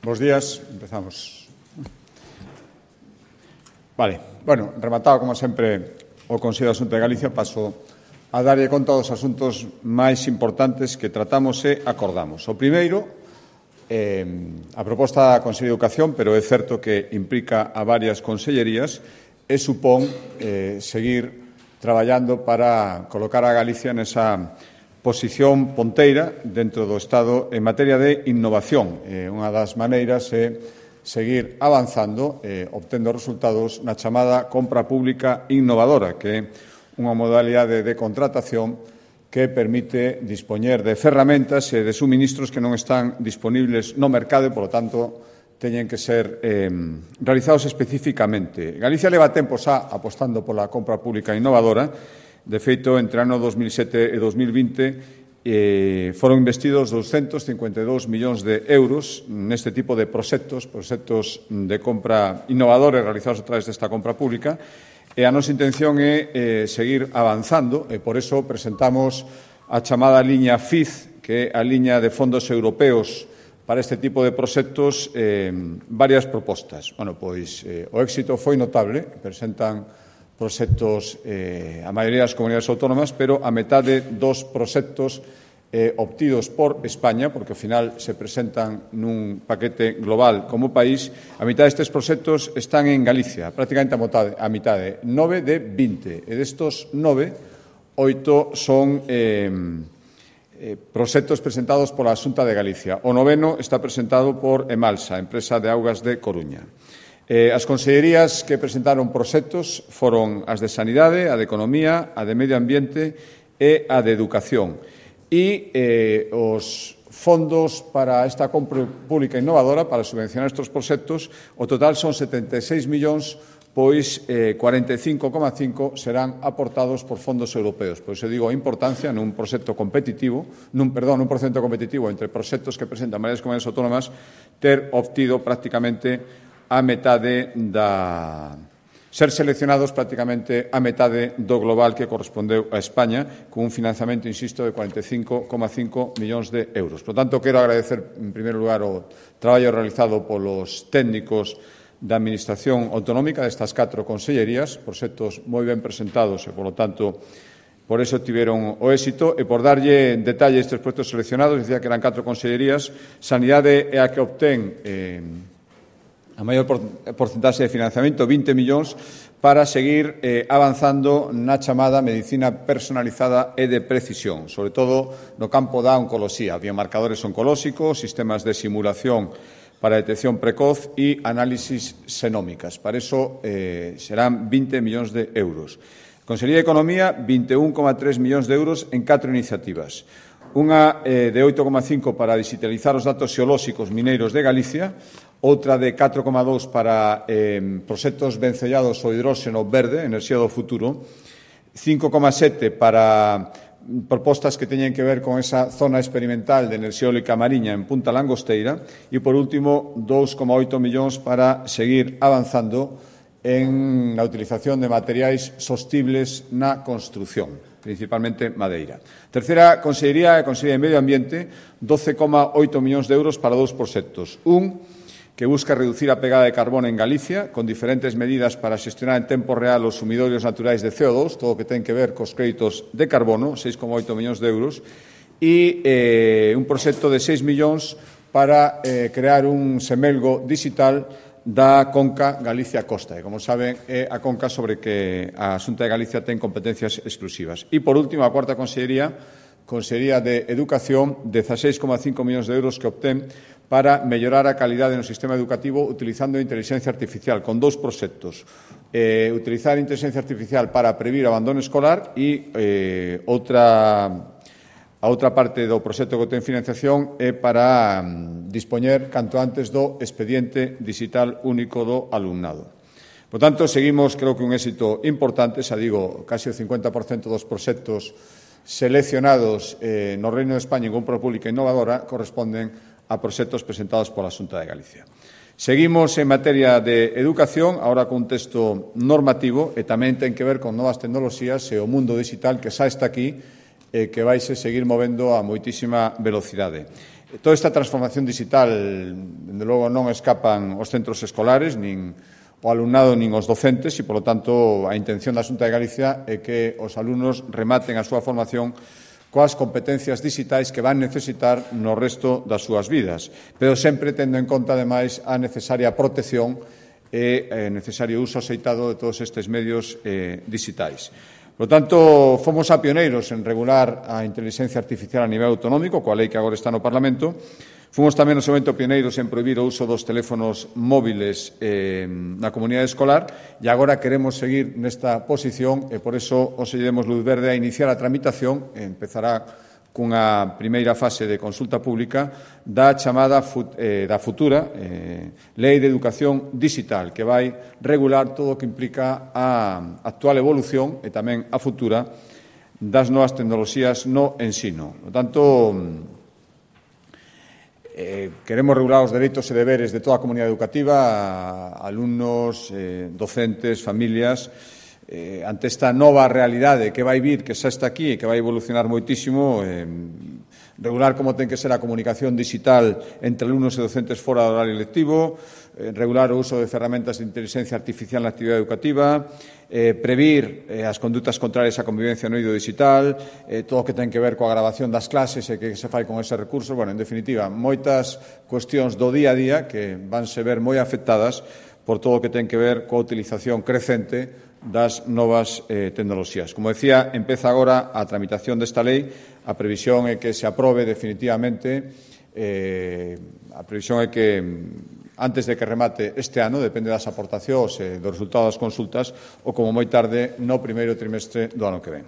Bos días, empezamos. Vale, bueno, rematado, como sempre, o Consello de Asunto de Galicia, paso a darlle conta dos asuntos máis importantes que tratamos e acordamos. O primeiro, a proposta da Consello de Educación, pero é certo que implica a varias consellerías, e supón seguir traballando para colocar a Galicia nesa posición ponteira dentro do Estado en materia de innovación. Unha das maneiras é seguir avanzando, obtendo resultados na chamada compra pública innovadora, que é unha modalidade de contratación que permite dispoñer de ferramentas e de suministros que non están disponibles no mercado e, polo tanto, teñen que ser realizados especificamente. Galicia leva tempo xa apostando pola compra pública innovadora. De feito, entre o ano 2007 e 2020 foron investidos 252 millóns de euros neste tipo de proxectos de compra innovadores realizados a través desta compra pública, e a nosa intención é seguir avanzando, e por eso presentamos a chamada liña FIZ, que é a liña de fondos europeos para este tipo de proxectos, varias propostas. Bueno, pois o éxito foi notable, presentan proxectos a maioría das comunidades autónomas, pero a metade dos proxectos obtidos por España, porque ao final se presentan nun paquete global como país, a mitad destes proxectos están en Galicia, prácticamente a mitade, 9 de 20, e destos 9, 8 son proxectos presentados pola Xunta de Galicia. O noveno está presentado por Emalsa, empresa de augas de Coruña. As consellerías que presentaron proxectos foron as de Sanidade, a de Economía, a de Medio Ambiente e a de Educación. E os fondos para esta compra pública innovadora, para subvencionar estes proxectos, o total son 76 millóns, pois 45,5 serán aportados por fondos europeos. Por iso digo a importancia nun proxecto competitivo, nun proxecto competitivo entre proxectos que presentan varias comunidades autónomas, ter obtido prácticamente a metade ser seleccionados prácticamente a metade do global que correspondeu a España, con un financiamento, insisto, de 45,5 millóns de euros. Por tanto, quero agradecer, en primeiro lugar, o traballo realizado polos técnicos da Administración Autonómica destas 4 consellerías, proxectos moi ben presentados e, polo tanto, por eso tiveron o éxito, e por darlle en detalle estes proxectos seleccionados, decía que eran 4 consellerías. Sanidade é a que obtén a maior porcentaxe de financiamento, 20 millóns, para seguir avanzando na chamada medicina personalizada e de precisión, sobre todo no campo da oncoloxía, biomarcadores oncolóxicos, sistemas de simulación para detección precoz e análisis xenómicas. Para iso serán 20 millóns de euros. Consellería de Economía, 21,3 millóns de euros en 4 iniciativas. Unha de 8,5 para digitalizar os datos xeolóxicos mineiros de Galicia, outra de 4,2 para proxectos vencellados ao hidróxeno verde, enerxía do futuro, 5,7 para propostas que teñen que ver con esa zona experimental de enerxía eólica mariña en Punta Langosteira, e, por último, 2,8 millóns para seguir avanzando en a utilización de materiais sostibles na construción, principalmente madeira. Terceira consellería, a Consellería de Medio Ambiente, 12,8 millóns de euros para 2 proxectos. Un que busca reducir a pegada de carbono en Galicia, con diferentes medidas para xestionar en tempo real os sumidorios naturais de CO2, todo o que ten que ver cos créditos de carbono, 6,8 millóns de euros, e un proxecto de 6 millóns para crear un semelgo digital da Conca Galicia-Costa. E, como saben, é a Conca sobre que a Xunta de Galicia ten competencias exclusivas. E, por último, a cuarta consellería, Consellería de Educación, 16,5 millóns de euros que obtén para mellorar a calidade no sistema educativo utilizando a inteligencia artificial, con 2 proxectos. Utilizar a inteligencia artificial para previr o abandono escolar e a outra parte do proxecto que ten financiación é para dispoñer canto antes do expediente digital único do alumnado. Por tanto, seguimos, creo que un éxito importante, xa digo, casi o 50% dos proxectos seleccionados no Reino de España en compra pública innovadora corresponden a proxectos presentados pola Xunta de Galicia. Seguimos en materia de educación, agora con un texto normativo, e tamén ten que ver con novas tecnoloxías e o mundo digital que xa está aquí e que vaise seguir movendo a moitísima velocidade. Toda esta transformación digital, dende logo, non escapan os centros escolares, nin o alumnado nin os docentes, e, polo tanto, a intención da Xunta de Galicia é que os alumnos rematen a súa formación coas competencias digitais que van necesitar no resto das súas vidas, pero sempre tendo en conta, ademais, a necesaria protección e necesario uso axeitado de todos estes medios digitais. Por lo tanto, fomos a pioneiros en regular a inteligencia artificial a nivel autonómico, coa lei que agora está no Parlamento. Fomos tamén no seu momento pioneiros en prohibir o uso dos teléfonos móviles na comunidade escolar e agora queremos seguir nesta posición e por eso os demos luz verde a iniciar a tramitación, empezará cunha primeira fase de consulta pública da chamada da futura Lei de Educación Digital, que vai regular todo o que implica a actual evolución e tamén a futura das novas tecnoloxías no ensino. Por tanto, queremos regular os dereitos e deberes de toda a comunidade educativa, alumnos, docentes, familias, ante esta nova realidade que vai vir, que xa está aquí e que vai evolucionar moitísimo, regular como ten que ser a comunicación digital entre alumnos e docentes fora do horario lectivo, regular o uso de ferramentas de inteligencia artificial na actividade educativa, previr as condutas contrarias á convivencia no eido digital, todo o que ten que ver coa grabación das clases e que se fai con ese recurso. Bueno, en definitiva, moitas cuestións do día a día que vanse ver moi afectadas por todo o que ten que ver coa utilización crecente das novas tecnoloxías. Como decía, empeza agora a tramitación desta lei. A previsión é que se aprobe definitivamente, a previsión é que antes de que remate este ano, depende das aportacións e do resultado das consultas, ou como moi tarde no primeiro trimestre do ano que ven.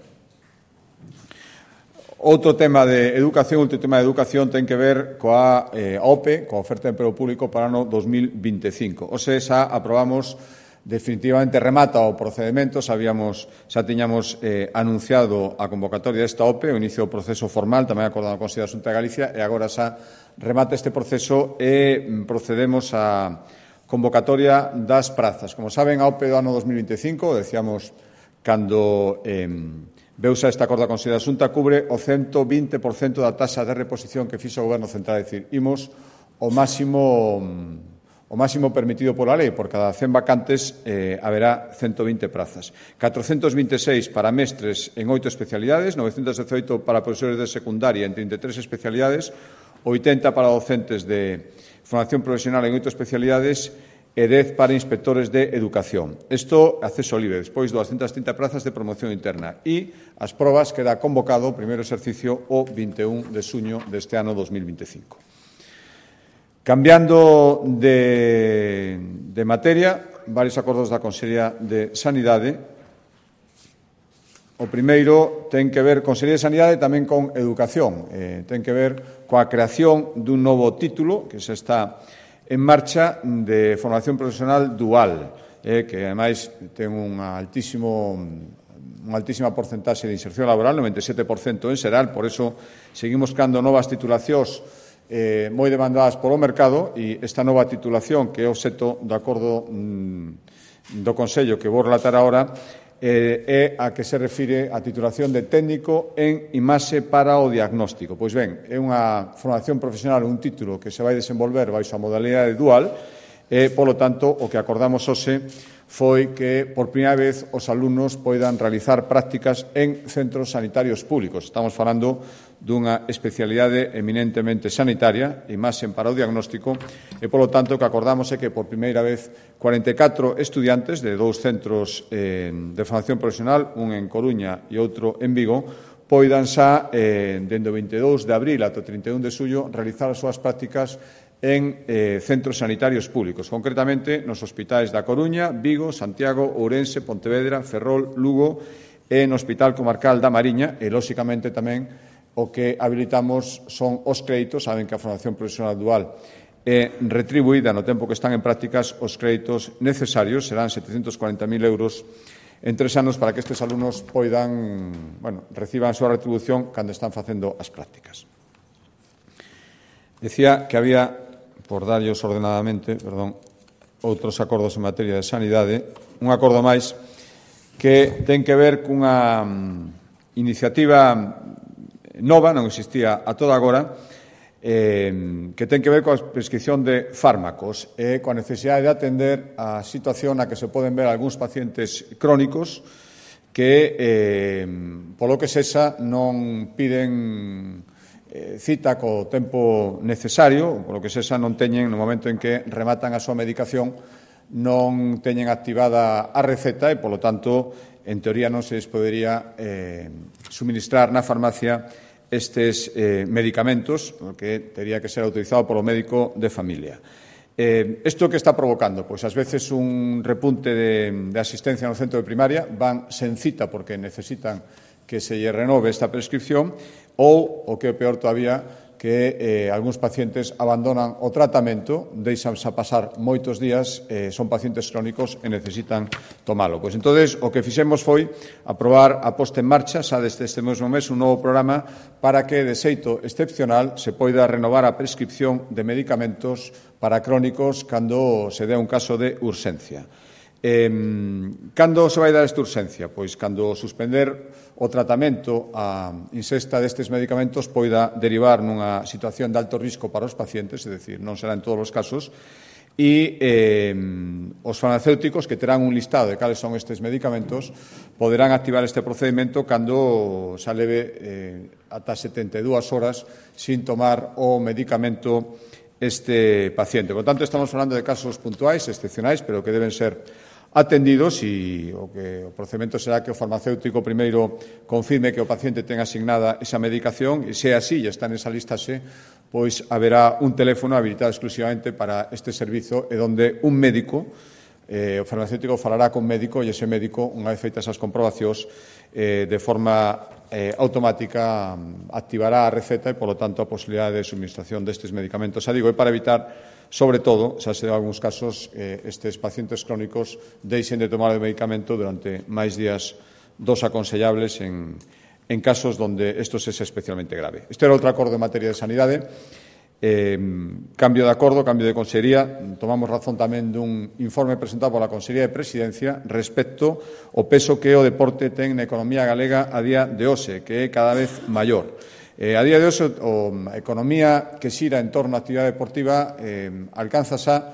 Outro tema de educación ten que ver coa OPE, coa oferta de emprego público para o ano 2025. Ose, xa aprobamos definitivamente, remata o procedemento, xa tiñamos anunciado a convocatoria desta OPE, o inicio do proceso formal, tamén acordado con a Consello da Xunta de Galicia, e agora xa remata este proceso e procedemos á convocatoria das prazas. Como saben, a OPE do ano 2025, decíamos, cando veuse esta acordo da Consello da Xunta, cubre o 120% da taxa de reposición que fixo o Goberno Central, é dicir, imos o máximo permitido pola lei. Por cada 100 vacantes haberá 120 prazas. 426 para mestres en 8 especialidades, 918 para profesores de secundaria en 33 especialidades, 80 para docentes de formación profesional en 8 especialidades e 10 para inspectores de educación. Isto, acceso libre, despois 230 prazas de promoción interna. E as probas queda convocado o primeiro exercicio o 21 de xuño deste ano 2025. Cambiando de materia, varios acordos da Consellería de Sanidade. O primeiro ten que ver, Consellería de Sanidade, tamén con educación. Ten que ver coa creación dun novo título que se está en marcha de formación profesional dual, que, ademais, ten unha altísima porcentaxe de inserción laboral, 97% en xeral, por eso seguimos creando novas titulacións moi demandadas polo mercado, e esta nova titulación, que é o obxecto do acordo do Consello que vou relatar agora, é a que se refire a titulación de técnico en imaxe para o diagnóstico. Pois ben, é unha formación profesional, un título que se vai desenvolver baixo a modalidade dual e, polo tanto, o que acordamos hoxe foi que, por primeira vez, os alumnos poidan realizar prácticas en centros sanitarios públicos. Estamos falando dunha especialidade eminentemente sanitaria, imaxe para o diagnóstico, e, polo tanto, o que acordamos é que, por primeira vez, 44 estudiantes de 2 centros de formación profesional, un en Coruña e outro en Vigo, poidan xa, dende o 22 de abril ata o 31 de xullo, realizar as súas prácticas en centros sanitarios públicos, concretamente nos hospitais da Coruña, Vigo, Santiago, Ourense, Pontevedra, Ferrol, Lugo e no Hospital Comarcal da Mariña, e, lóxicamente, tamén o que habilitamos son os créditos. Saben que a formación profesional dual é retribuída no tempo que están en prácticas. Os créditos necesarios serán 740.000 euros en 3 anos para que estes alumnos reciban a súa retribución cando están facendo as prácticas. Decía que había, por darllos ordenadamente, outros acordos en materia de sanidade, un acordo máis que ten que ver cunha iniciativa nova, non existía a toda agora, que ten que ver coa prescripción de fármacos e coa necesidade de atender a situación na que se poden ver algúns pacientes crónicos que, polo que sexa, non piden cita co tempo necesario, polo que sexa non teñen, no momento en que rematan a súa medicación, non teñen activada a receta e, polo tanto, en teoría non se les podería suministrar na farmacia estes medicamentos, que tería que ser autorizado polo médico de familia. Isto que está provocando? Pois, ás veces, un repunte de asistencia no centro de primaria, van sen cita porque necesitan que se lle renove esta prescripción, ou, o que é peor todavía, que algúns pacientes abandonan o tratamento, deixanse a pasar moitos días, son pacientes crónicos e necesitan tomalo. Pois, entonces, o que fixemos foi aprobar a posta en marcha, xa desde este mesmo mes, un novo programa para que, de xeito excepcional, se poida renovar a prescripción de medicamentos para crónicos cando se dé un caso de urxencia. Cando se vai dar esta urxencia? Pois cando suspender o tratamento a ingesta destes medicamentos poida derivar nunha situación de alto risco para os pacientes, é dicir, non será en todos os casos, e os farmacéuticos, que terán un listado de cales son estes medicamentos, poderán activar este procedimento cando se leve ata 72 horas sin tomar o medicamento este paciente. Por tanto, estamos falando de casos puntuais, excepcionais, pero que deben ser atendidos, e o procedimento será que o farmacéutico primeiro confirme que o paciente ten asignada esa medicación, e se é así e está nesa listaxe, pois haberá un teléfono habilitado exclusivamente para este servizo, e onde un médico, o farmacéutico falará con médico, e ese médico, unha vez feitas as comprobacións, de forma automática activará a receta e, polo tanto, a posibilidade de suministración destes medicamentos. Xa digo, é para evitar, sobre todo, xa se deu algúns casos, estes pacientes crónicos deixen de tomar o medicamento durante máis días dos aconsellables en casos onde isto é especialmente grave. Este era outro acordo en materia de sanidade. Cambio de acordo, cambio de consellería. Tomamos razón tamén dun informe presentado pola Consellería de Presidencia respecto ao peso que o deporte ten na economía galega a día de hoxe, que é cada vez maior. A día de hoxe, a economía que xira en torno á actividade deportiva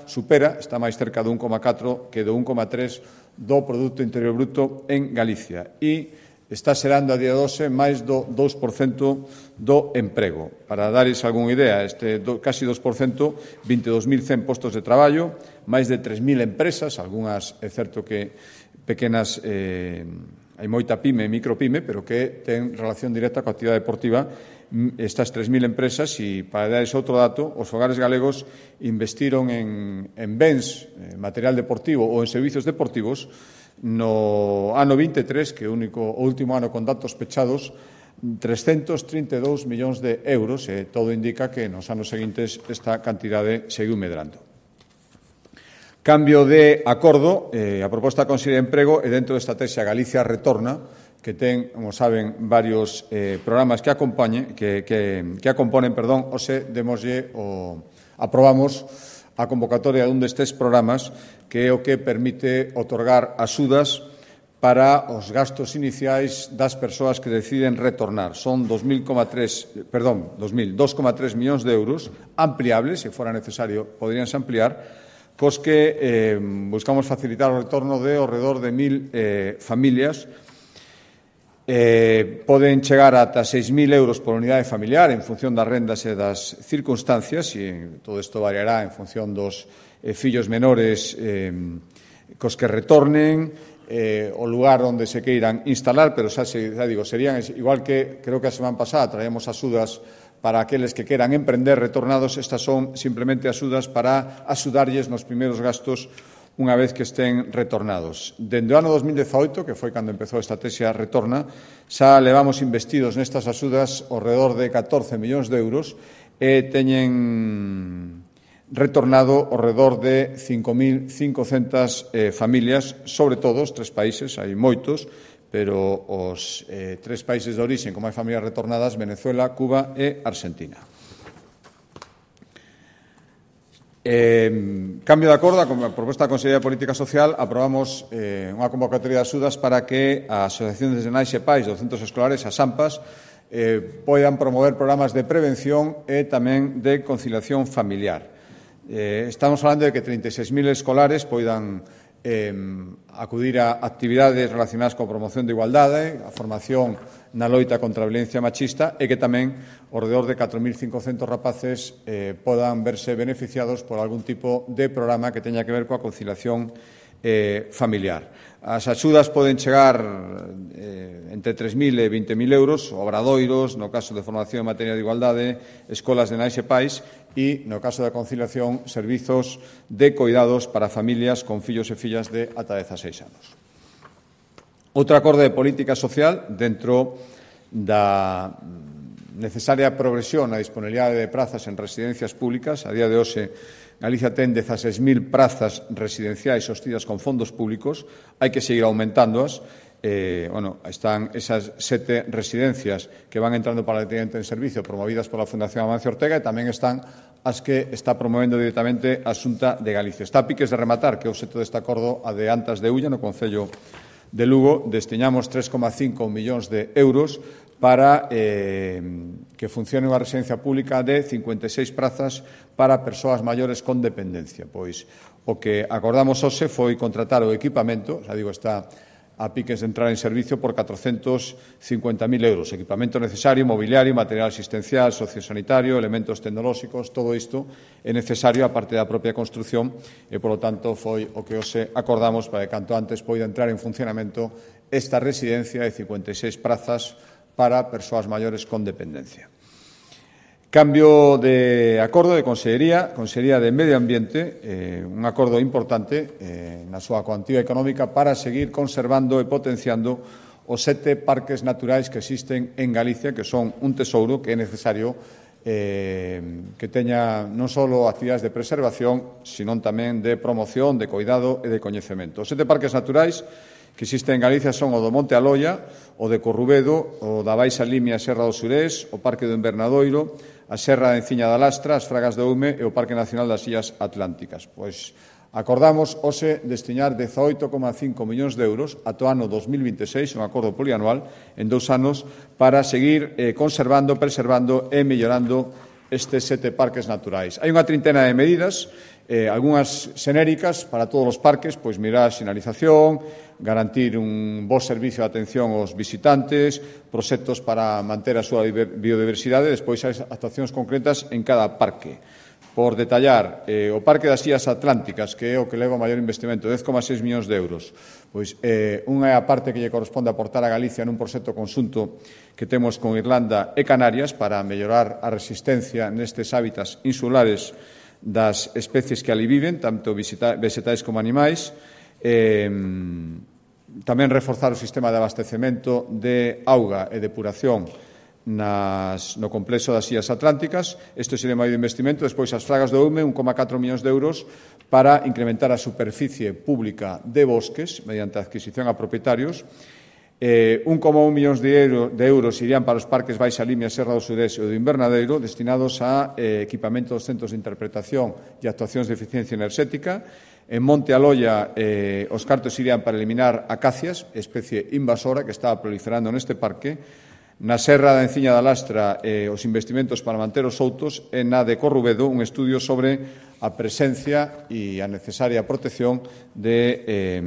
supera, está máis cerca do 1,4 que do 1,3 do Produto Interior Bruto en Galicia, e está xerando a día de hoxe máis do 2% do emprego. Para dares algunha idea, casi 2%, 22.100 postos de traballo, máis de 3.000 empresas, algunhas é certo que pequenas, hai moita pyme e micropyme, pero que ten relación directa coa actividade deportiva. Estas 3.000 empresas, e para dares outro dato, os fogares galegos investiron en bens, material deportivo ou en servizos deportivos no ano 23, que é o último ano con datos pechados, 332 millóns de euros, e todo indica que nos anos seguintes esta cantidade seguiu medrando. Cambio de acordo, a proposta da Consellería de Emprego é dentro da estrategia Galicia Retorna, que ten, como saben, varios programas que componen, hoxe aprobamos a convocatoria dun destes programas, que é o que permite otorgar axudas para os gastos iniciais das persoas que deciden retornar. Son 2,3 millóns de euros ampliables, se fora necesario, poderíanse ampliar, cos que buscamos facilitar o retorno de ao redor de 1.000 familias. Poden chegar ata 6.000 euros por unidade familiar en función das rendas e das circunstancias, e todo isto variará en función dos fillos menores cos que retornen, o lugar onde se queiran instalar, pero xa digo, serían igual que creo que a semana pasada traíamos axudas para aqueles que queran emprender retornados. Estas son simplemente axudas para axudarlles nos primeiros gastos unha vez que estén retornados. Dende o ano 2018, que foi cando empezou a estrategia Retorna, xa levamos investidos nestas axudas ao redor de 14 millóns de euros e teñen retornado ao redor de 5.500 familias, sobre todo os 3 países, hai moitos, pero os 3 países de orixe con máis familias retornadas, Venezuela, Cuba e Argentina. Cambio de acordo, con a proposta da Consellería de Política Social, aprobamos unha convocatoria de axudas para que as asociacións de nais e pais dos centros escolares, as AMPAs, poidan promover programas de prevención e tamén de conciliación familiar. Estamos falando de que 36.000 escolares poidan acudir a actividades relacionadas coa promoción de igualdade, a formación na loita contra a violencia machista e que tamén ao redor de 4.500 rapaces podan verse beneficiados por algún tipo de programa que teña que ver coa conciliación familiar. As axudas poden chegar entre 3.000 e 20.000 euros, obradoiros, no caso de formación en materia de igualdade, escolas de nais e pais e, no caso da conciliación, servizos de coidados para familias con fillos e fillas de ata 16 anos. Outro acordo de política social dentro da necesaria progresión na disponibilidade de prazas en residencias públicas. A día de hoxe, Galicia ten 16.000 prazas residenciais sostidas con fondos públicos. Hai que seguir aumentándoas. Están esas 7 residencias que van entrando paulatinamente en servicio promovidas pola Fundación Amancio Ortega e tamén están as que está promovendo directamente a Xunta de Galicia. Está a piques de rematar, que é o obxecto deste acordo, a de Antas de Ulla, no Concello de Lugo. Destiñamos 3,5 millóns de euros para que funcione unha residencia pública de 56 prazas para persoas maiores con dependencia. Pois o que acordamos hoxe foi contratar o equipamento, está a piques de entrar en servicio por 450.000 euros. Equipamento necesario, mobiliario, material asistencial, sociosanitario, elementos tecnolóxicos, todo isto é necesario a parte da propia construción e, polo tanto, foi o que hoxe acordamos para que canto antes poida entrar en funcionamento esta residencia de 56 prazas para persoas maiores con dependencia. Cambio de acordo de Consellería de Medio Ambiente, un acordo importante na súa cuantía económica para seguir conservando e potenciando os 7 parques naturais que existen en Galicia, que son un tesouro que é necesario que teña non só actividades de preservación, sino tamén de promoción, de coidado e de coñecemento. Os 7 parques naturais que existen en Galicia son o do Monte Aloia, o de Corrubedo, o da Baixa Limia e Serra do Surés, o Parque do Invernadoiro, a Serra de Enciña da Lastra, as Fragas de Oume e o Parque Nacional das Illas Atlánticas. Pois acordamos hoxe destiñar 18,5 millóns de euros ata o ano 2026, un acordo polianual, en 2 anos, para seguir conservando, preservando e mellorando estes 7 parques naturais. Hai unha trintena de medidas, algunhas xenéricas para todos os parques, pois mirar a sinalización, garantir un bo servicio de atención aos visitantes, proxectos para manter a súa biodiversidade, despois hai actuacións concretas en cada parque. Por detallar, o Parque das Illas Atlánticas, que é o que leva o maior investimento, 10,6 millóns de euros, pois unha é a parte que lle corresponde aportar a Galicia nun proxecto conxunto que temos con Irlanda e Canarias para mellorar a resistencia nestes hábitats insulares das especies que ali viven, tanto vegetais como animais, tamén reforzar o sistema de abastecemento de auga e depuración no complexo das Illas Atlánticas. Isto sería máis de investimento. Despois, as Fragas do Oume, 1,4 millóns de euros para incrementar a superficie pública de bosques mediante a adquisición a propietarios. 1,1 millóns de euros irían para os parques Baixa Limia, Serra do Surés e do Invernadeiro, destinados a equipamento dos centros de interpretación e actuacións de eficiencia enerxética. En Monte Aloia, os cartos irían para eliminar acacias, especie invasora que estaba proliferando neste parque. Na Serra da Enciña da Lastra, os investimentos para manter os soutos, e na de Corrubedo, un estudio sobre a presencia e a necesaria protección de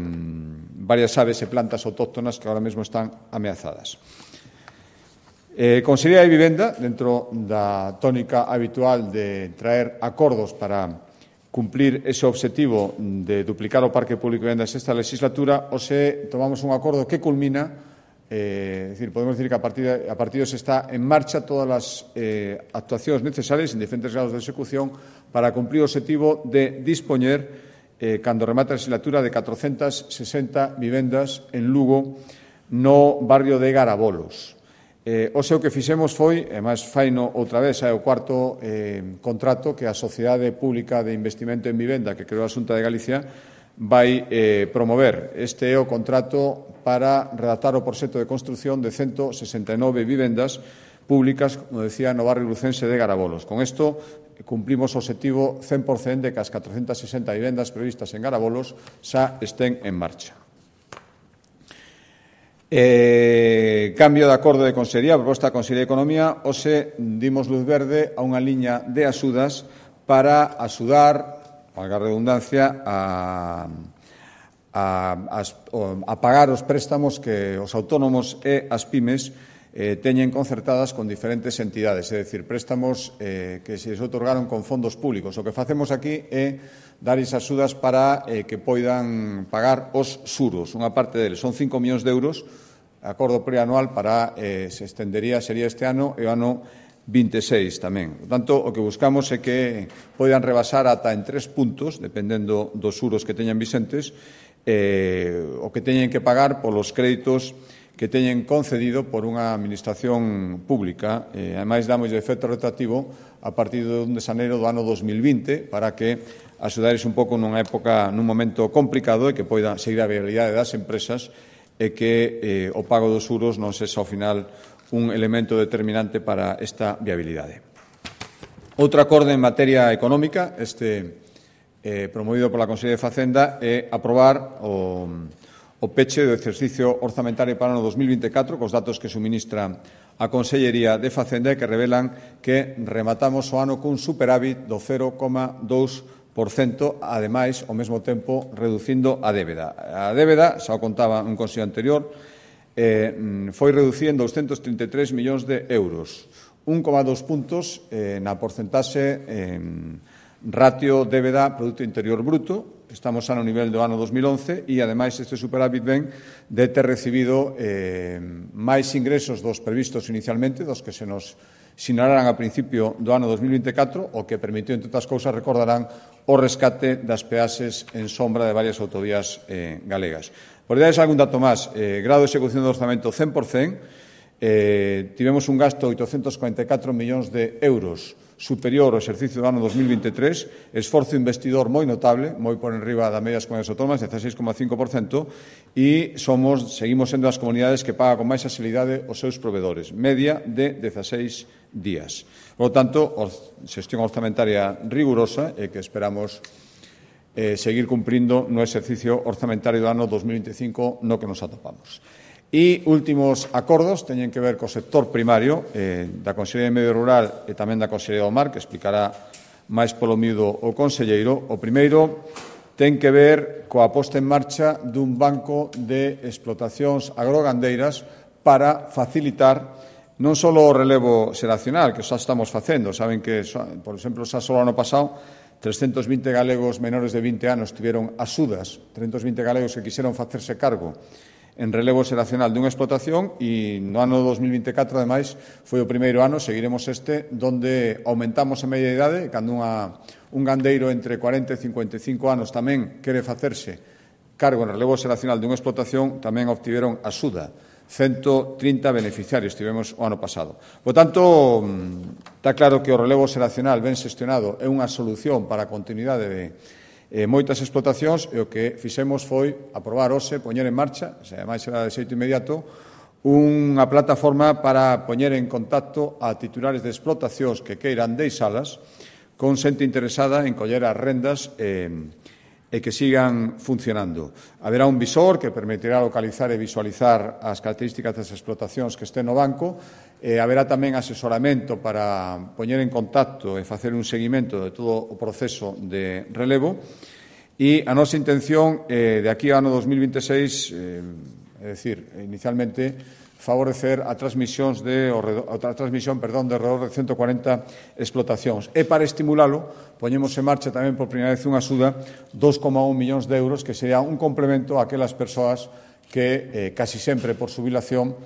varias aves e plantas autóctonas que ahora mesmo están ameazadas. Consellería de Vivenda, dentro da tónica habitual de traer acordos para cumplir ese objetivo de duplicar o parque público de vivendas esta legislatura, hoxe tomamos un acordo que culmina, podemos decir que a partir de hoxe está en marcha todas as actuacións necesarias en diferentes grados de execución para cumplir o objetivo de dispoñer, cando remate a legislatura, de 460 vivendas en Lugo, no barrio de Garabolos. Hoxe o que fixemos foi, e máis faino outra vez, é o cuarto contrato que a Sociedade Pública de Investimento en Vivenda que creou a Xunta de Galicia vai promover. Este é o contrato para redactar o proxecto de construción de 169 vivendas públicas, como decía, no barrio lucense de Garabolos. Con isto cumplimos o objetivo 100% de que as 460 vivendas previstas en Garabolos xa estén en marcha. Cambio de acordo de Consellería, proposta da Consellería de Economía, hoxe dimos luz verde a unha liña de axudas para axudar, valga a redundancia, a pagar os préstamos que os autónomos e as pymes teñen concertadas con diferentes entidades, é dicir, préstamos que se les otorgaron con fondos públicos. O que facemos aquí é dar esas axudas para que poidan pagar os xuros. Unha parte deles son 5 millóns de euros, acordo preanual para se estendería, sería este ano e o ano 26 tamén. Por tanto, o que buscamos é que poidan rebasar ata en 3 puntos, dependendo dos xuros que teñan vicentes, o que teñen que pagar polos créditos que teñen concedido por unha administración pública. Ademais, damos de efecto retroactivo a partir do 1 de xaneiro do ano 2020 para que axudares un pouco nunha época, nun momento complicado e que poida seguir a viabilidade das empresas e que o pago dos xuros non sexa ao final un elemento determinante para esta viabilidade. Outro acordo en materia económica, promovido pola Consellería de Facenda, é aprobar o peche do exercicio orzamentario para o ano 2024 cos datos que suministra a Consellería de Facenda e que revelan que rematamos o ano cun superávit do 0,2%, ademais, ao mesmo tempo, reducindo a débeda. A débeda, xa o contaba un consello anterior, foi reducida en 233 millóns de euros, 1,2 puntos na porcentaxe ratio débeda Produto Interior Bruto. Estamos xa no nivel do ano 2011 e, ademais, este superávit ven de ter recibido máis ingresos dos previstos inicialmente, dos que se nos sinalaran a principio do ano 2024, o que permitiu, entre outras cousas, recordarán o rescate das peaxes en sombra de varias autovías galegas. Por darles algún dato máis, grado de execución do orzamento 100%, tivemos un gasto de 844 millóns de euros superior ao exercicio do ano 2023, esforzo investidor moi notable, moi por enriba da media das comunidades autónomas, 16,5%, e seguimos sendo as comunidades que paga con máis axilidade os seus provedores, media de 16 días. Por lo tanto, xestión orzamentaria rigurosa e que esperamos seguir cumprindo no exercicio orzamentario do ano 2025 no que nos atopamos. E últimos acordos teñen que ver co sector primario da Consellería de Medio Rural e tamén da Consellería do Mar, que explicará máis polo miúdo o conselleiro. O primeiro ten que ver coa posta en marcha dun banco de explotacións agrogandeiras para facilitar non só o relevo xeracional, que xa estamos facendo. Saben que, por exemplo, xa só o ano pasado 320 galegos menores de 20 anos tiveron axudas, 320 galegos que quixeron facerse cargo en relevo xeracional dunha explotación e no ano 2024, ademais, foi o primeiro ano, seguiremos donde aumentamos a media idade, cando un gandeiro entre 40 e 55 anos tamén quere facerse cargo en relevo xeracional dunha explotación, tamén obtiveron axuda. 130 beneficiarios tivemos o ano pasado. Por tanto, está claro que o relevo xeracional ben xestionado é unha solución para a continuidade de moitas explotacións e o que fixemos foi aprobar hoxe, poñer en marcha, ademais será de xeito inmediato, unha plataforma para poñer en contacto a titulares de explotacións que queiran deixalas con xente interesada en coller as rendas e que sigan funcionando. Haberá un visor que permitirá localizar e visualizar as características das explotacións que estén no banco. Haberá tamén asesoramento para poñer en contacto e facer un seguimento de todo o proceso de relevo. E a nosa intención de aquí ao ano 2026, é dicir, inicialmente, favorecer a transmisión de alrededor de 140 explotacións. E para estimulalo, poñemos en marcha tamén por primeira vez unha axuda 2,1 millóns de euros, que sería un complemento a aquelas persoas que casi sempre por xubilación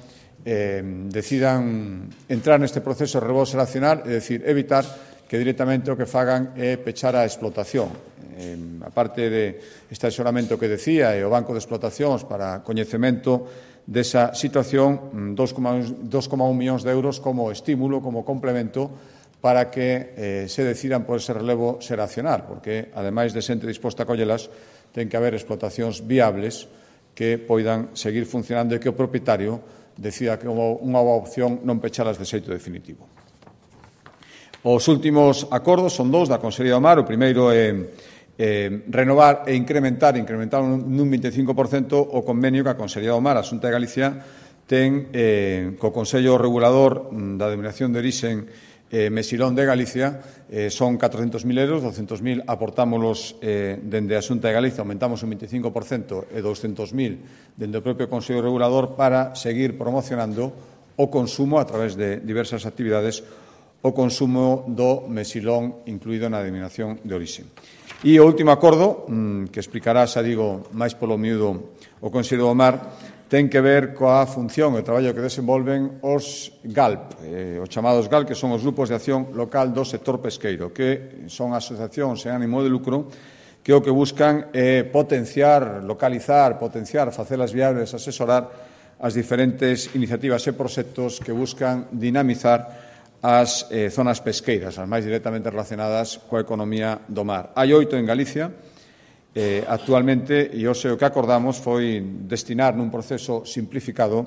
decidan entrar neste proceso de relevo xeracional, é dicir, evitar que directamente o que fagan é pechar a explotación. A parte deste asesoramento que decía e o Banco de Explotacións para coñecemento desa situación, 2,1 millóns de euros como estímulo, como complemento para que se decidan por ese relevo xeracional, porque, ademais de xente disposta a collelas, ten que haber explotacións viables que poidan seguir funcionando e que o propietario decida que unha boa opción non pechalas de xeito definitivo. Os últimos acordos son dous da Consellería do Mar. O primeiro é renovar e incrementar nun 25% o convenio que a Consellería do Mar, a Xunta de Galicia, ten co Consello Regulador da Denominación de Orixen Mesilón de Galicia. Son 400.000 euros, 200.000 aportámolos dende a Xunta de Galicia, aumentamos un 25% e 200.000 dende o propio Consello Regulador para seguir promocionando o consumo a través de diversas actividades, o consumo do mesilón incluído na denominación de orixe. E o último acordo, que explicará, xa digo, máis polo miúdo o Consello do Mar, ten que ver coa función e o traballo que desenvolven os GALP, os chamados GALP, que son os grupos de acción local do sector pesqueiro, que son asociacións sen ánimo de lucro que o que buscan é potenciar, localizar, facelas viables, asesorar as diferentes iniciativas e proxectos que buscan dinamizar as zonas pesqueiras, as máis directamente relacionadas coa economía do mar. Hai 8 en Galicia. Actualmente, e hoxe o que acordamos foi destinar nun proceso simplificado,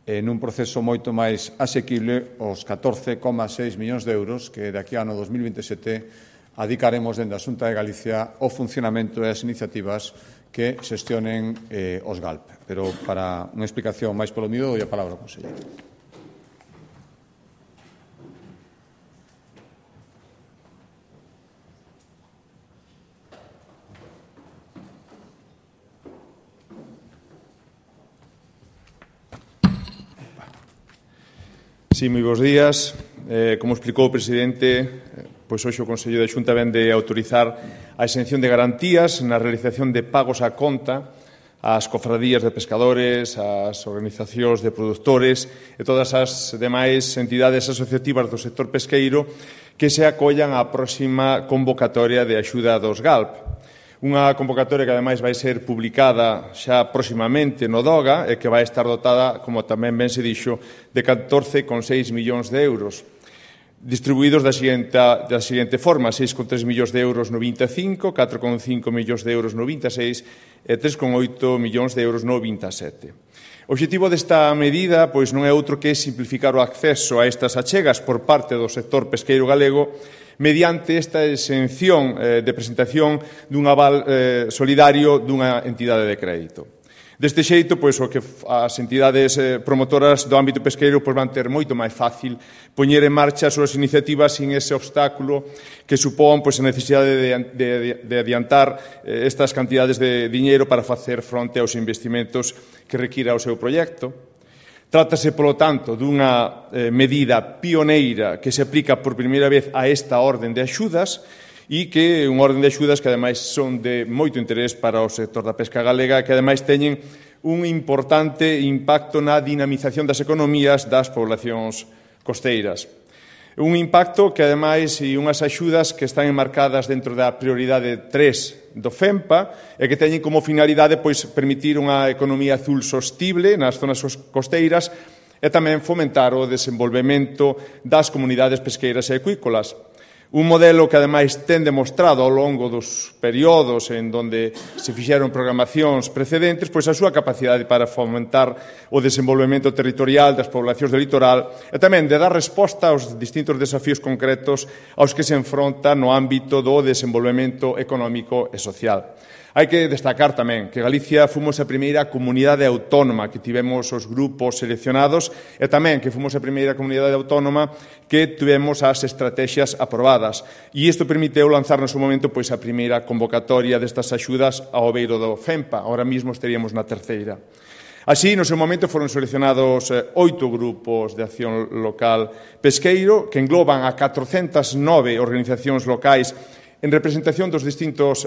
nun proceso moito máis asequible, os 14,6 millóns de euros que de aquí ao ano 2027 adicaremos dende a Xunta de Galicia ao funcionamento e as iniciativas que xestionen os GALP. Pero para unha explicación máis polo miúdo, dou a palabra ao conselleiro. Sí, moi bons días. Como explicou o presidente, pois hoxe o Consello da Xunta vén de autorizar a exención de garantías na realización de pagos á conta ás cofradías de pescadores, ás organizacións de produtores e todas as demais entidades asociativas do sector pesqueiro que se acollan á próxima convocatoria de axuda dos GALP. Unha convocatoria que, ademais, vai ser publicada xa próximamente no DOGA e que vai estar dotada, como tamén ben se dixo, de 14,6 millóns de euros, distribuídos da seguinte forma: 6,3 millóns de euros no 25, 4,5 millóns de euros no 26 e 3,8 millóns de euros no 27. O obxectivo desta medida pois non é outro que simplificar o acceso a estas achegas por parte do sector pesqueiro galego mediante esta exención de presentación dun aval solidario dunha entidade de crédito. Deste xeito, pois, o que as entidades promotoras do ámbito pesqueiro pois, van ter moito máis fácil poñer en marcha as súas iniciativas sin ese obstáculo que supón pois, a necesidade de adiantar estas cantidades de diñeiro para facer fronte aos investimentos que requira o seu proxecto. Trátase, polo tanto, dunha medida pioneira que se aplica por primeira vez a esta orden de axudas e que é unha orden de axudas que, ademais, son de moito interés para o sector da pesca galega e que, ademais, teñen un importante impacto na dinamización das economías das poblacións costeiras. Un impacto que, ademais, e unhas axudas que están enmarcadas dentro da prioridade 3 do FEMPA e que teñen como finalidade pois, permitir unha economía azul sostible nas zonas costeiras e tamén fomentar o desenvolvemento das comunidades pesqueiras e acuícolas. Un modelo que, ademais, ten demostrado ao longo dos períodos en donde se fixeron programacións precedentes pois a súa capacidade para fomentar o desenvolvemento territorial das poblacións do litoral e tamén de dar resposta aos distintos desafíos concretos aos que se enfronta no ámbito do desenvolvemento económico e social. Hai que destacar tamén que Galicia fomos a primeira comunidade autónoma que tivemos os grupos seleccionados e tamén que fomos a primeira comunidade autónoma que tivemos as estrategias aprobadas. E isto permiteu lanzar no seu momento pois, a primeira convocatoria destas axudas ao beiro do FEMPA. Ahora mesmo estaríamos na terceira. Así, no seu momento, foron seleccionados 8 grupos de acción local pesqueiro que engloban a 409 organizacións locais en representación dos distintos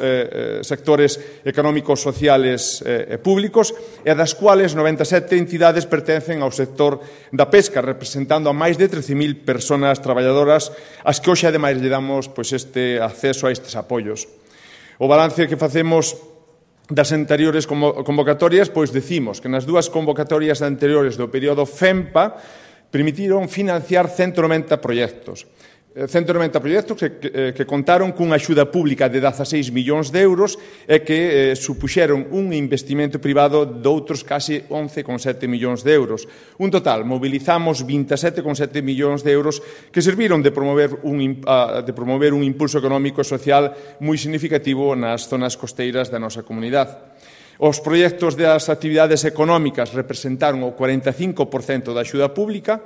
sectores económicos, sociales e públicos, e das cuales 97 entidades pertencen ao sector da pesca, representando a máis de 13.000 persoas traballadoras, as que hoxe, ademais, lle damos pois, este acceso a estes apoios. O balance que facemos das anteriores convocatorias, pois decimos que nas dúas convocatorias anteriores do período FEMPA permitiron financiar 190 proxectos. 190 proxectos que contaron cunha axuda pública de 16 millóns de euros e que supuxeron un investimento privado de outros casi 11,7 millóns de euros. Un total, mobilizamos 27,7 millóns de euros que serviron de promover un impulso económico e social moi significativo nas zonas costeiras da nosa comunidade. Os proxectos das actividades económicas representaron o 45% da axuda pública,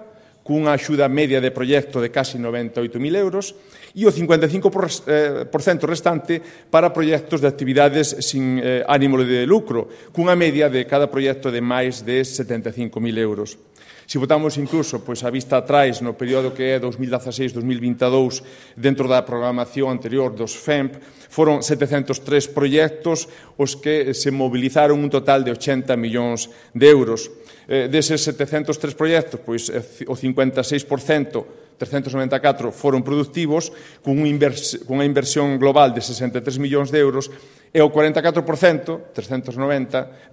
cunha axuda media de proxecto de casi 98.000 euros, e o 55% restante para proxectos de actividades sin ánimo de lucro, cunha media de cada proxecto de máis de 75.000 euros. Se votamos incluso a vista atrás no período que é 2016-2022 dentro da programación anterior dos FEMP, foron 703 proxectos os que se mobilizaron un total de 80 millóns de euros. Deses 703 proxectos, o 56%, 394, foron productivos, cunha inversión global de 63 millóns de euros, e o 44%, 309,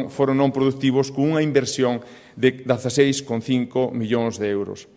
foron non productivos, cunha inversión de 16,5 millóns de euros.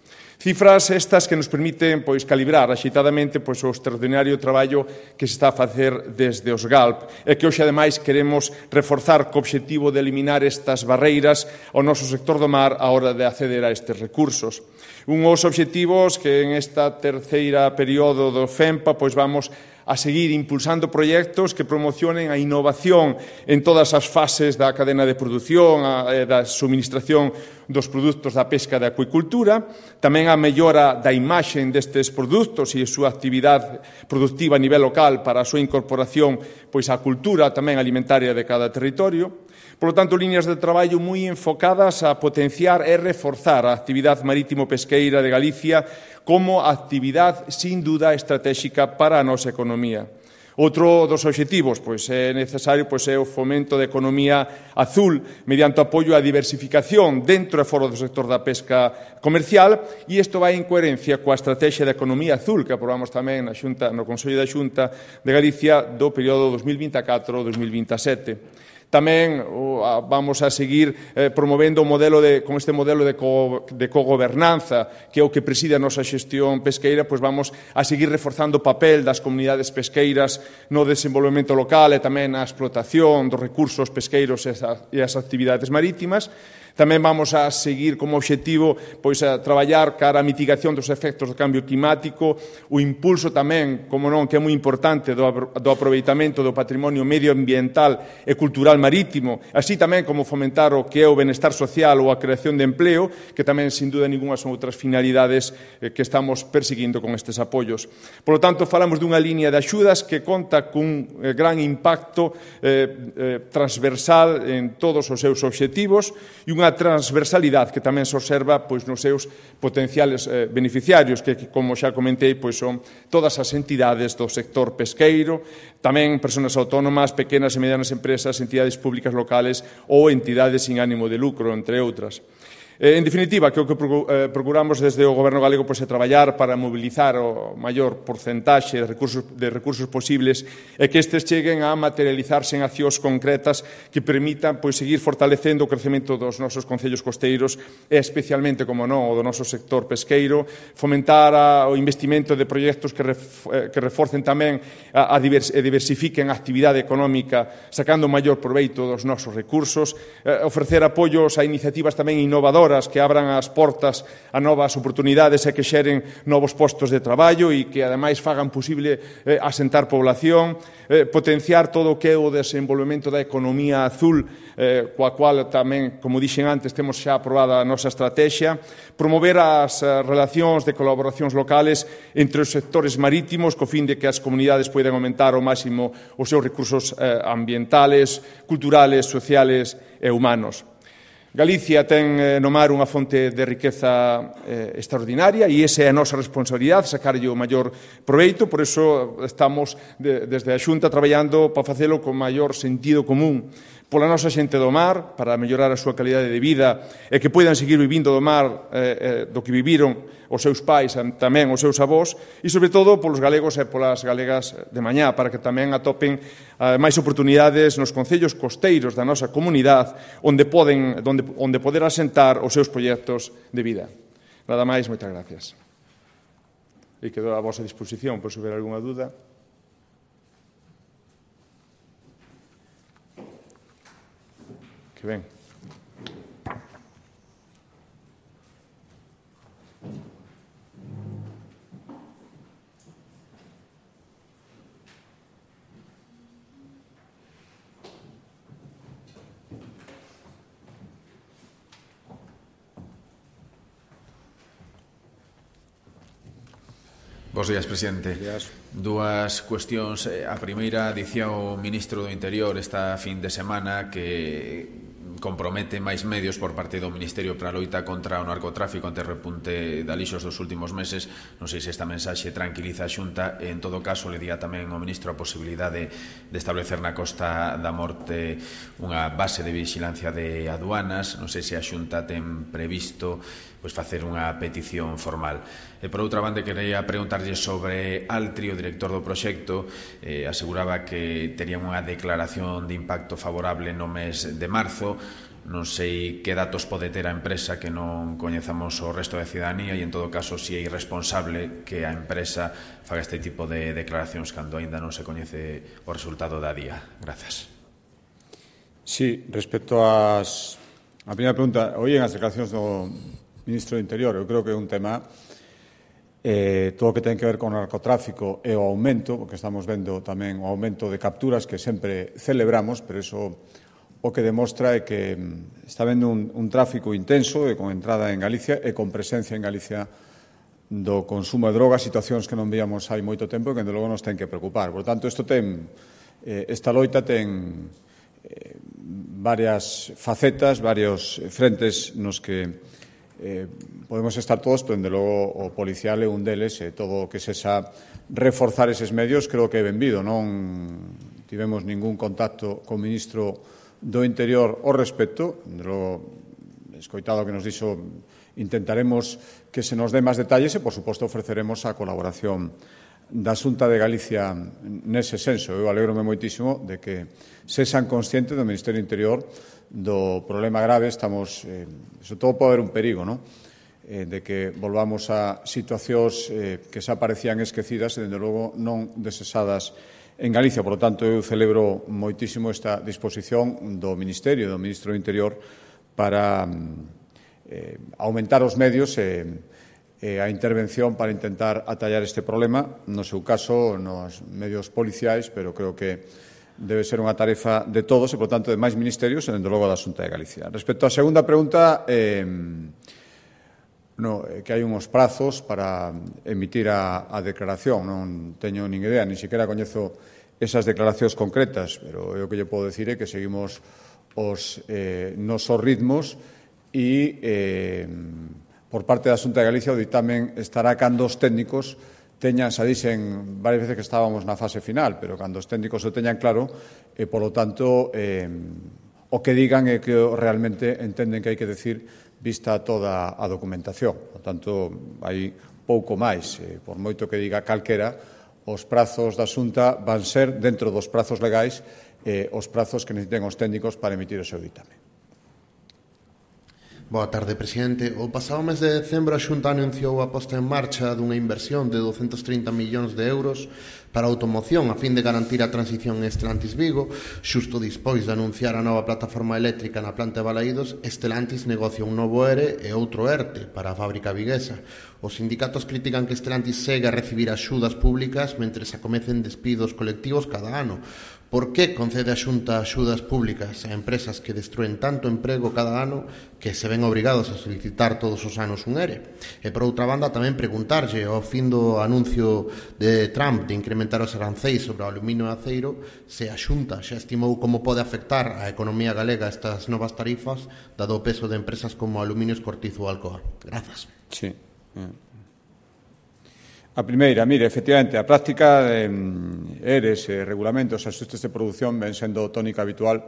Cifras estas que nos permiten calibrar axeitadamente o extraordinario traballo que se está a facer desde os GALP e que hoxe, ademais, queremos reforzar co obxectivo de eliminar estas barreiras ao noso sector do mar á hora de acceder a estes recursos. Unhos obxectivos que en esta terceira período do FEMPA vamos a seguir impulsando proxectos que promocionen a innovación en todas as fases da cadena de produción, da suministración dos produtos da pesca e da acuicultura, tamén a mellora da imaxe destes produtos e a súa actividade productiva a nivel local para a súa incorporación á cultura tamén alimentaria de cada territorio. Por lo tanto, líneas de traballo moi enfocadas a potenciar e reforzar a actividade marítimo-pesqueira de Galicia como actividade, sin duda, estratégica para a nosa economía. Outro dos obxectivos é necesario é o fomento da economía azul mediante o apoio á diversificación dentro e fora do sector da pesca comercial, e isto vai en coherencia coa estrategia da economía azul que aprobamos tamén no Consello da Xunta de Galicia do período 2024-2027. Tamén vamos a seguir promovendo con este modelo de cogobernanza, que é o que preside a nosa xestión pesqueira, vamos a seguir reforzando o papel das comunidades pesqueiras no desenvolvemento local e tamén na explotación dos recursos pesqueiros e as actividades marítimas. Tamén vamos a seguir como obxectivo a traballar cara a mitigación dos efectos do cambio climático, o impulso tamén, como non, que é moi importante, do aproveitamento do patrimonio medioambiental e cultural marítimo, así tamén como fomentar o que é o benestar social ou a creación de empleo, que tamén, sin dúda ninguna, son outras finalidades que estamos perseguindo con estes apoios. Por lo tanto, falamos dunha liña de axudas que conta cun gran impacto transversal en todos os seus obxectivos e unha transversalidade que tamén se observa nos seus potenciales beneficiarios, que, como xa comentei, son todas as entidades do sector pesqueiro, tamén persoas autónomas, pequenas e medianas empresas, entidades públicas locales ou entidades sin ánimo de lucro, entre outras. En definitiva, que o que procuramos desde o Goberno galego é traballar para mobilizar o maior porcentaxe de recursos posibles e que estes cheguen a materializarse en accións concretas que permitan seguir fortalecendo o crecemento dos nosos concellos costeiros e especialmente, como non, o do noso sector pesqueiro, fomentar o investimento de proxectos que reforcen tamén e diversifiquen a actividade económica sacando maior proveito dos nosos recursos, ofrecer apoios a iniciativas tamén innovadoras que abran as portas a novas oportunidades e que xeren novos postos de traballo e que, ademais, fagan posible asentar población, potenciar todo o que é o desenvolvemento da economía azul, coa cual tamén, como dixen antes, temos xa aprobada a nosa estrategia, promover as relacións de colaboracións locales entre os sectores marítimos co fin de que as comunidades poidan aumentar ao máximo os seus recursos ambientales, culturales, sociales e humanos. Galicia ten no mar unha fonte de riqueza extraordinaria e esa é a nosa responsabilidade, sacarlle o maior proveito, por iso estamos desde a Xunta traballando para facelo con maior sentido común pola nosa xente do mar, para mellorar a súa calidade de vida e que poidan seguir vivindo do mar do que viviron os seus pais, tamén os seus avós, e, sobre todo, polos galegos e polas galegas de mañá, para que tamén atopen máis oportunidades nos concellos costeiros da nosa comunidade onde poder asentar os seus proxectos de vida. Nada máis, moitas gracias. e quedo a vosa disposición por se houver algunha dúda. Que ben. Bos días, presidente. Dúas cuestións. A primeira, dicía o ministro do Interior esta fin de semana que compromete máis medios por parte do Ministerio para a loita contra o narcotráfico ante o repunte de alixos dos últimos meses. Non sei se esta mensaxe tranquiliza a Xunta e, en todo caso, le día tamén ao ministro a posibilidade de establecer na Costa da Morte unha base de vigilancia de aduanas. Non sei se a Xunta ten previsto facer unha petición formal. E, por outra banda, quería preguntarlle sobre Altri, o director do proxecto. Aseguraba que terían unha declaración de impacto favorable no mes de marzo. Non sei que datos pode ter a empresa que non coñezamos o resto da cidadanía e, en todo caso, se é irresponsable que a empresa faga este tipo de declaracións cando aínda non se coñece o resultado da día. Grazas. Sí, respecto a primeira pregunta, oíen as declaracións do ministro do Interior. Eu creo que é un tema todo o que ten que ver con o narcotráfico e o aumento, porque estamos vendo tamén o aumento de capturas que sempre celebramos, pero iso o que demostra é que está vendo un tráfico intenso e con entrada en Galicia e con presencia en Galicia do consumo de drogas, situacións que non víamos hai moito tempo e que, de logo, nos ten que preocupar. Por tanto, esta loita ten varias facetas, varios frentes nos que podemos estar todos, pero, dende logo, o policial é un deles, e todo o que sexa reforzar eses medios creo que é benvido. Non tivemos ningún contacto co ministro do Interior ao respecto. Dende logo, escoitado o que nos dixo, intentaremos que se nos dé máis detalles e, por suposto, ofreceremos a colaboración da Xunta de Galicia nese senso. Eu alégrome moitísimo de que sexan conscientes do Ministerio do Interior do problema grave. Estamos, sobre todo, pode haber un perigo, non? De que volvamos a situacións que xa parecían esquecidas e, dende logo, non desesadas en Galicia. Por lo tanto, eu celebro moitísimo esta disposición do Ministerio, do Ministro do Interior, para aumentar os medios e a intervención para intentar atallar este problema, no seu caso, nos medios policiais, pero creo que debe ser unha tarefa de todos e, por tanto, de máis ministerios e, dende logo, da Xunta de Galicia. Respecto á segunda pregunta, que hai uns prazos para emitir a declaración. Non teño nin idea, nin sequera coñezo esas declaracións concretas, pero o que lle podo dicir é que seguimos os nosos ritmos e, por parte da Xunta de Galicia, o ditamen estará cando os técnicos teñan, xa dixen varias veces que estábamos na fase final, pero cando os técnicos o teñan claro, e, polo tanto, o que digan é que realmente entenden que hai que decir vista toda a documentación. Por tanto, hai pouco máis. Por moito que diga calquera, os prazos da Xunta van ser, dentro dos prazos legais, os prazos que necesiten os técnicos para emitir o seu ditamen. Boa tarde, presidente. O pasado mes de decembro, a Xunta anunciou a posta en marcha dunha inversión de 230 millóns de euros para a automoción a fin de garantir a transición en Stellantis Vigo. Xusto dispois de anunciar a nova plataforma eléctrica na planta de Balaídos, Stellantis negocia un novo ERE e outro ERTE para a fábrica viguesa. Os sindicatos critican que Stellantis segue a recibir axudas públicas mentre se acomecen despidos colectivos cada ano. Por que concede a Xunta axudas públicas a empresas que destruen tanto emprego cada ano que se ven obrigados a solicitar todos os anos un ERE? E, por outra banda, tamén preguntarlle, ao fin do anuncio de Trump de incrementar os aranceis sobre o aluminio e aceiro, se a Xunta xa estimou como pode afectar a economía galega estas novas tarifas, dado o peso de empresas como Aluminios Cortizo ou Alcoa. Grazas. Sí. A primeira, mire, efectivamente, a práctica de ERES, regulamentos, axustes de produción ven sendo tónica habitual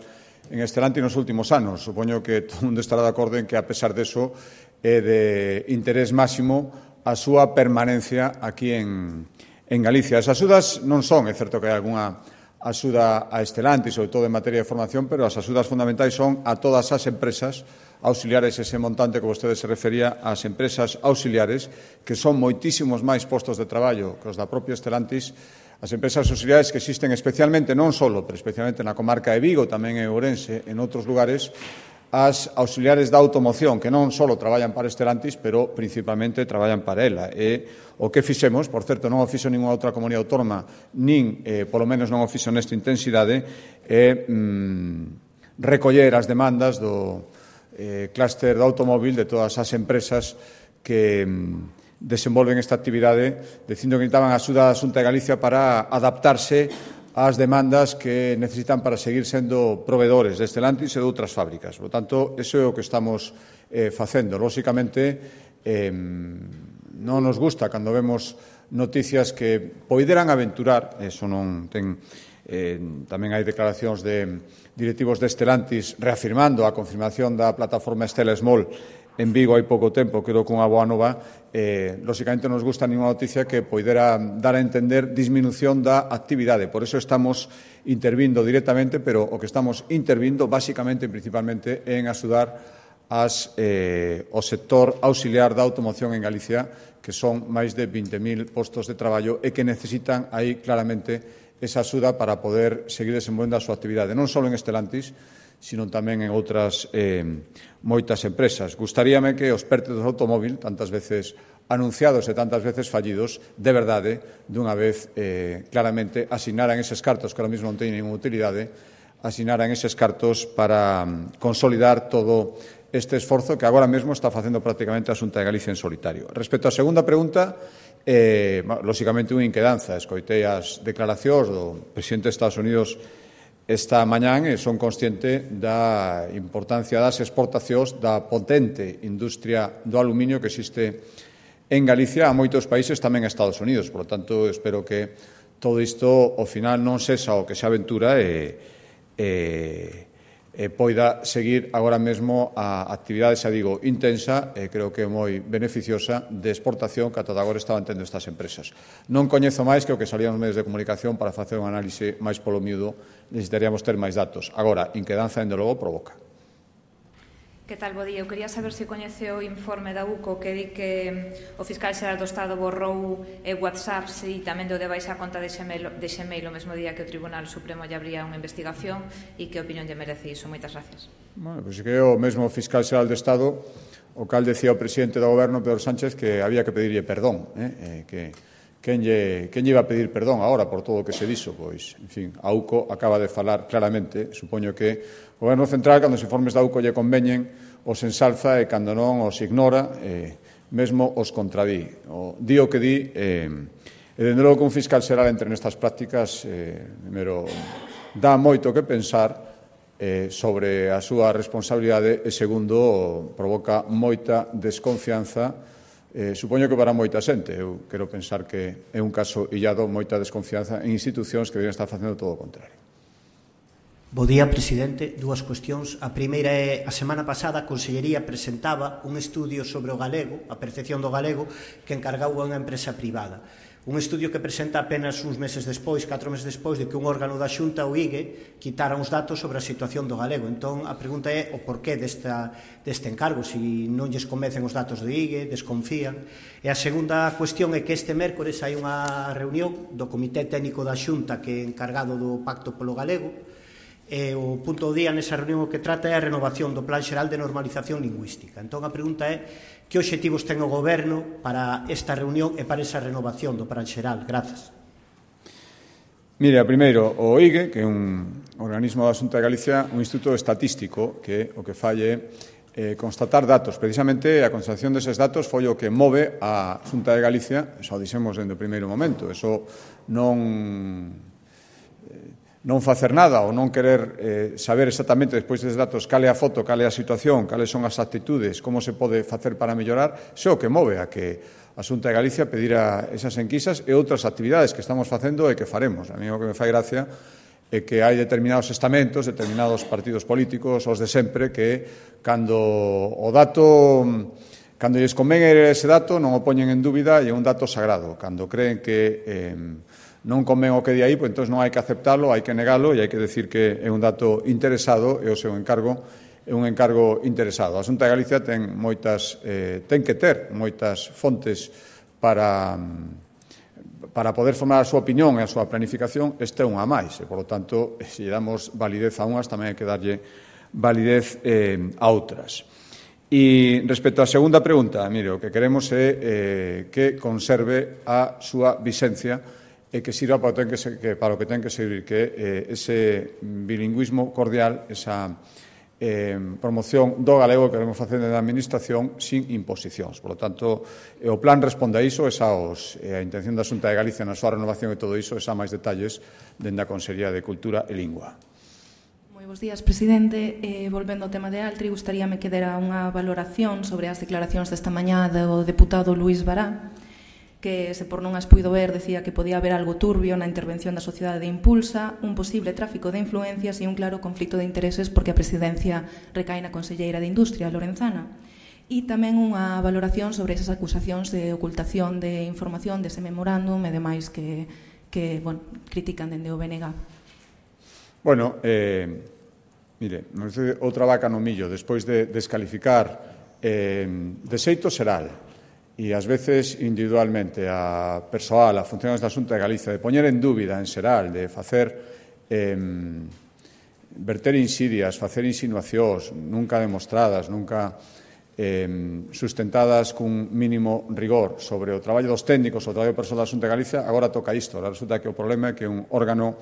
en Stellantis nos últimos anos. Supoño que todo o mundo estará de acordo en que, a pesar deso, é de interés máximo a súa permanencia aquí en Galicia. As axudas non son, é certo que hai algunha axuda a Stellantis, sobre todo en materia de formación, pero as axudas fundamentais son a todas as empresas auxiliares, ese montante que vostede se refería ás empresas auxiliares, que son moitísimos máis postos de traballo que os da propia Stellantis. As empresas auxiliares que existen especialmente, non só, pero especialmente na comarca de Vigo, tamén en Ourense, en outros lugares, as auxiliares da automoción, que non só traballan para Stellantis, pero principalmente traballan para ela. E o que fixemos, por certo, non o fixo ninguna outra comunidade autónoma, nin, polo menos non o fixo nesta intensidade, é recoller as demandas do clúster do automóvil de todas as empresas que desenvolven esta actividade, dicindo que necesitaban a axuda da Xunta de Galicia para adaptarse ás demandas que necesitan para seguir sendo proveedores de Stellantis e de outras fábricas. Por tanto, iso é o que estamos facendo. Lóxicamente, non nos gusta cando vemos noticias que poideran aventurar, eso non ten... tamén hai declaracións de directivos de Stellantis reafirmando a confirmación da plataforma Stella Small en Vigo hai pouco tempo, creo que unha boa nova. Lóxicamente non nos gusta ninguna noticia que poidera dar a entender disminución da actividade. Por eso estamos intervindo directamente, pero o que estamos intervindo basicamente e principalmente en axudar o sector auxiliar da automoción en Galicia, que son máis de 20.000 postos de traballo e que necesitan aí claramente esa axuda para poder seguir desenvolvendo a súa actividade, non só en Stellantis, sino tamén en outras moitas empresas. Gustaríame que os PERTE do automóvil, tantas veces anunciados e tantas veces fallidos, de verdade, dunha vez claramente asignaran eses cartos, que ahora mesmo non teñen ninguna utilidade, asignaran eses cartos para consolidar todo este esforzo que agora mesmo está facendo prácticamente a Xunta de Galicia en solitario. Respecto á segunda pregunta, lóxicamente unha inquedanza. Escoitei as declaracións do presidente de Estados Unidos esta mañán e son consciente da importancia das exportacións da potente industria do aluminio que existe en Galicia a moitos países, tamén a Estados Unidos. Por lo tanto, espero que todo isto, ao final, non sexa o que se aventura poida seguir agora mesmo a actividade, xa digo, intensa e creo que moi beneficiosa de exportación que ata agora estaban tendo estas empresas. Non coñezo máis que o que salían os medios de comunicación para facer un análise máis polo miúdo, necesitaríamos ter máis datos. Agora, inquedanza, dende logo, provoca. Que tal, bo día? Eu quería saber se coñece o informe da UCO que di que o fiscal xeral do Estado borrou WhatsApps e tamén deu de baixa a conta de Xmail o mesmo día que o Tribunal Supremo lle abría unha investigación e que opinión lle merece iso. Moitas gracias. Bueno, pois que o mesmo fiscal xeral do Estado o cal decía o presidente do Goberno, Pedro Sánchez, que había que pedirlle perdón, quen lle iba a pedir perdón agora por todo o que se dixo? Pois, en fin, a UCO acaba de falar claramente, supoño que o Goberno Central, cando os informes da UCO lle conveñen, os ensalza e cando non os ignora, mesmo os contradí. Di o que di, e dende logo que un fiscal xeral entre nestas prácticas, primeiro, dá moito que pensar sobre a súa responsabilidade e, segundo, provoca moita desconfianza, supoño que para moita xente. Eu quero pensar que é un caso illado, moita desconfianza en institucións que deberían estar facendo todo o contrario. Bo día, presidente. Dúas cuestións. A primeira é, a semana pasada a Consellería presentaba un estudio sobre o galego, a percepción do galego, que encargou a unha empresa privada. Un estudio que presenta apenas uns meses despois, 4 meses despois, de que un órgano da Xunta, o IGE, quitara uns datos sobre a situación do galego. Entón, a pregunta é o porqué deste encargo, se non lles convencen os datos do IGE, desconfían. E a segunda cuestión é que este mércores hai unha reunión do Comité Técnico da Xunta que é encargado do Pacto polo Galego, e o punto do día nesa reunión o que trata é a renovación do Plan Xeral de Normalización Lingüística. Entón, a pregunta é que obxectivos ten o Goberno para esta reunión e para esa renovación do Plan Xeral. Grazas. Mire, primeiro, o IGE, que é un organismo da Xunta de Galicia, un instituto estatístico que o que falle constatar datos. Precisamente a constatación deses datos foi o que move a Xunta de Galicia, eso dixemos dende o primeiro momento, eso non facer nada ou non querer saber exactamente despois desses datos cal é a foto, cal é a situación, cales son as actitudes, como se pode facer para mellorar, iso é o que move a que a Xunta de Galicia pedira esas enquisas e outras actividades que estamos facendo e que faremos. A mí o que me fai gracia é que hai determinados estamentos, determinados partidos políticos, os de sempre, que cando o dato, cando lles convén ese dato, non o poñen en dúbida e é un dato sagrado. Cando creen que non convén o que di aí, pois entón non hai que aceptalo, hai que negalo e hai que decir que é un dato interesado e o seu encargo un encargo interesado. A Xunta de Galicia ten que ter moitas fontes para poder formar a súa opinión e a súa planificación. Este é unha máis, e, por lo tanto, se lle damos validez a unhas, tamén hai que darlle validez a outras. E respecto á segunda pregunta, mire, o que queremos é que conserve a súa vixencia e que sirva para o que ten que servir, que ese bilingüismo cordial, esa promoción do galego que queremos facer da Administración sin imposicións. Por lo tanto, o plan responde a iso, a intención da Xunta de Galicia na súa renovación e todo iso, esa máis detalles dende a Consellería de Cultura e Lingua. Bos días, presidente. Volvendo ao tema de Altri, gustaríame que dera unha valoración sobre as declaracións desta mañá do deputado Luís Bará, que, se por non as puido ver, decía que podía haber algo turbio na intervención da sociedade de Impulsa, un posible tráfico de influencias e un claro conflito de intereses porque a presidencia recae na conselleira de Industria, Lorenzana. E tamén unha valoración sobre esas acusacións de ocultación de información dese memorándum e demais que critican dende o BNG. Bueno, mire, outra vaca no millo, despois de descalificar de xeito xeral e ás veces individualmente a persoal, a funcionarios da Xunta de Galicia, de poñer en dúbida en xeral, de facer verter insidias, facer insinuacións nunca demostradas, nunca sustentadas cun mínimo rigor sobre o traballo dos técnicos, o traballo persoal da Xunta de Galicia, agora toca isto. Ahora resulta que o problema é que un órgano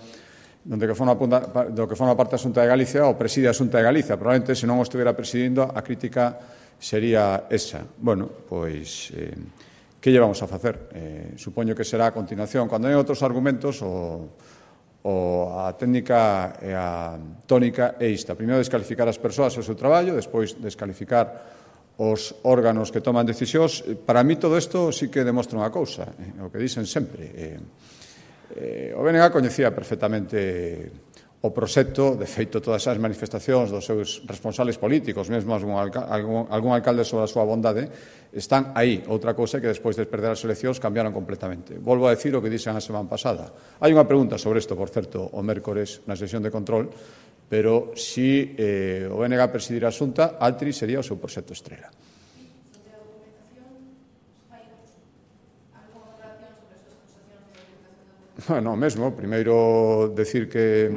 do que forma parte da Xunta de Galicia o preside a Xunta de Galicia. Probablemente, se non o estivera presidindo, a crítica sería esa. Bueno, pois, que lle vamos a facer? Supoño que será a continuación. Cando hai outros argumentos, a técnica e a tónica é esta. Primeiro, descalificar as persoas e o seu traballo, despois, descalificar os órganos que toman decisións. Para mí, todo isto sí que demostra unha cousa, o que dicen sempre. O BNG coñecía perfectamente o proxecto, de feito todas as manifestacións dos seus responsables políticos, mesmo algún alcalde sobre a súa bondade, están aí. Outra cousa é que despois de perder as eleccións cambiaron completamente. Volvo a decir o que dixen a semana pasada. Hai unha pregunta sobre isto, por certo, o mércores na sesión de control, pero si o BNG presidirá a Xunta, Altri sería o seu proxecto estrela. No, mesmo, primeiro decir que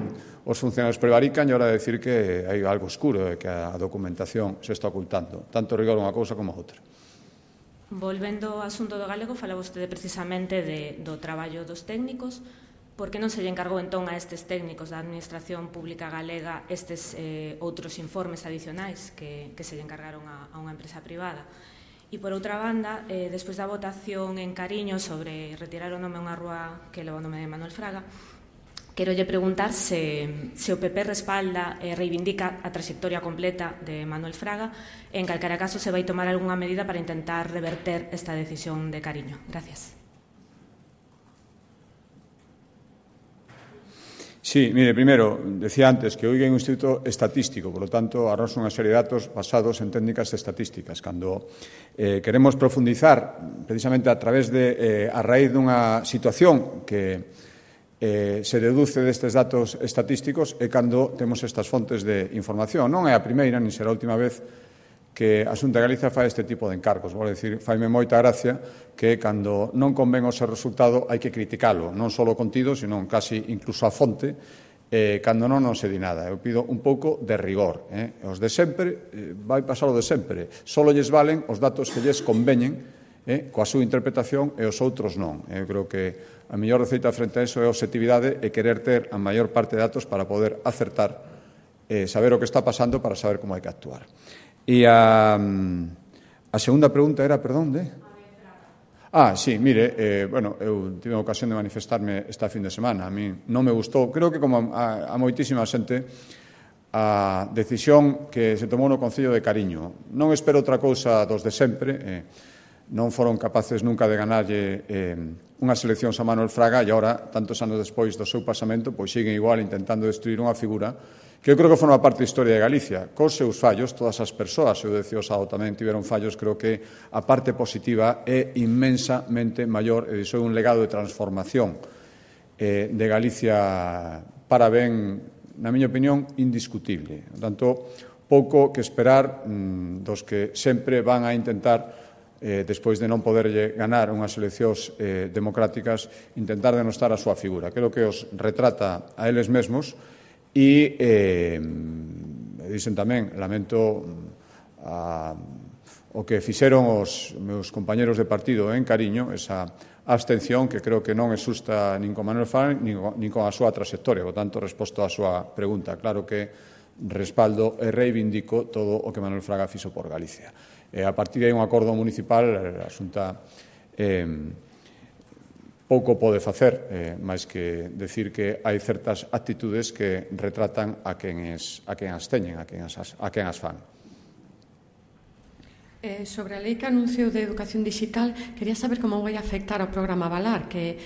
os funcionarios prevarican e ahora decir que hai algo oscuro e que a documentación se está ocultando. Tanto rigor unha cousa como a outra. Volvendo ao asunto do galego, fala vostede precisamente do traballo dos técnicos. Por que non se lle encargou entón a estes técnicos da Administración Pública Galega estes outros informes adicionais que se lle encargaron a unha empresa privada? E, por outra banda, despois da votación en Cariño sobre retirar o nome a unha rúa que leva o nome de Manuel Fraga, quero lle preguntar se o PP respalda e reivindica a trayectoria completa de Manuel Fraga e, en calquera caso, se vai tomar algunha medida para intentar reverter esta decisión de Cariño. Gracias. Sí, mire, primeiro, decía antes que hoy hai un instituto estatístico, por lo tanto, arroxa unha serie de datos basados en técnicas estatísticas. Cando queremos profundizar, precisamente a través a raíz dunha situación que se deduce destes datos estatísticos, é cando temos estas fontes de información. Non é a primeira, nin será a última vez que a Xunta de Galicia fai este tipo de encargos. Vou dicir, faime moita gracia que cando non convén o seu resultado hai que criticalo, non só o contido, sino casi incluso a fonte, cando non se di nada. Eu pido un pouco de rigor. Os de sempre, vai pasar o de sempre. Só lles valen os datos que lles conveñen coa súa interpretación e os outros non. Eu creo que a mellor receita frente a iso é a objetividade e querer ter a maior parte de datos para poder acertar, saber o que está pasando para saber como hai que actuar. E a segunda pregunta era, perdón, sí, mire, eu tive a ocasión de manifestarme esta fin de semana. A mí non me gustou, creo que como a moitísima xente, a decisión que se tomou no Concello de Cariño. Non espero outra cousa dos de sempre, non foron capaces nunca de ganarlle unhas eleccións a Manuel Fraga e agora, tantos anos despois do seu pasamento, pois siguen igual intentando destruir unha figura que eu creo que forma parte da historia de Galicia. Cos seus fallos, todas as persoas, eu decía o sábado tamén tiveron fallos, creo que a parte positiva é inmensamente maior e iso é un legado de transformación de Galicia para ben, na miña opinión, indiscutible. Por tanto, pouco que esperar dos que sempre van a intentar, despois de non poderlle ganar unhas eleccións democráticas, intentar denostar a súa figura. Creo que os retrata a eles mesmos e dicen tamén, lamento o que fixeron os meus compañeros de partido en Cariño, esa abstención que creo que non é xusta nin con Manuel Fraga nin con a súa trayectoria. Por tanto, resposto á súa pregunta, claro que respaldo e reivindico todo o que Manuel Fraga fixo por Galicia. A partir de aí un acordo municipal, a Xunta pouco pode facer, máis que decir que hai certas actitudes que retratan a quen as teñen, a quen as fan. Sobre a lei que anunciou de educación digital, quería saber como vai afectar ao programa Valar, que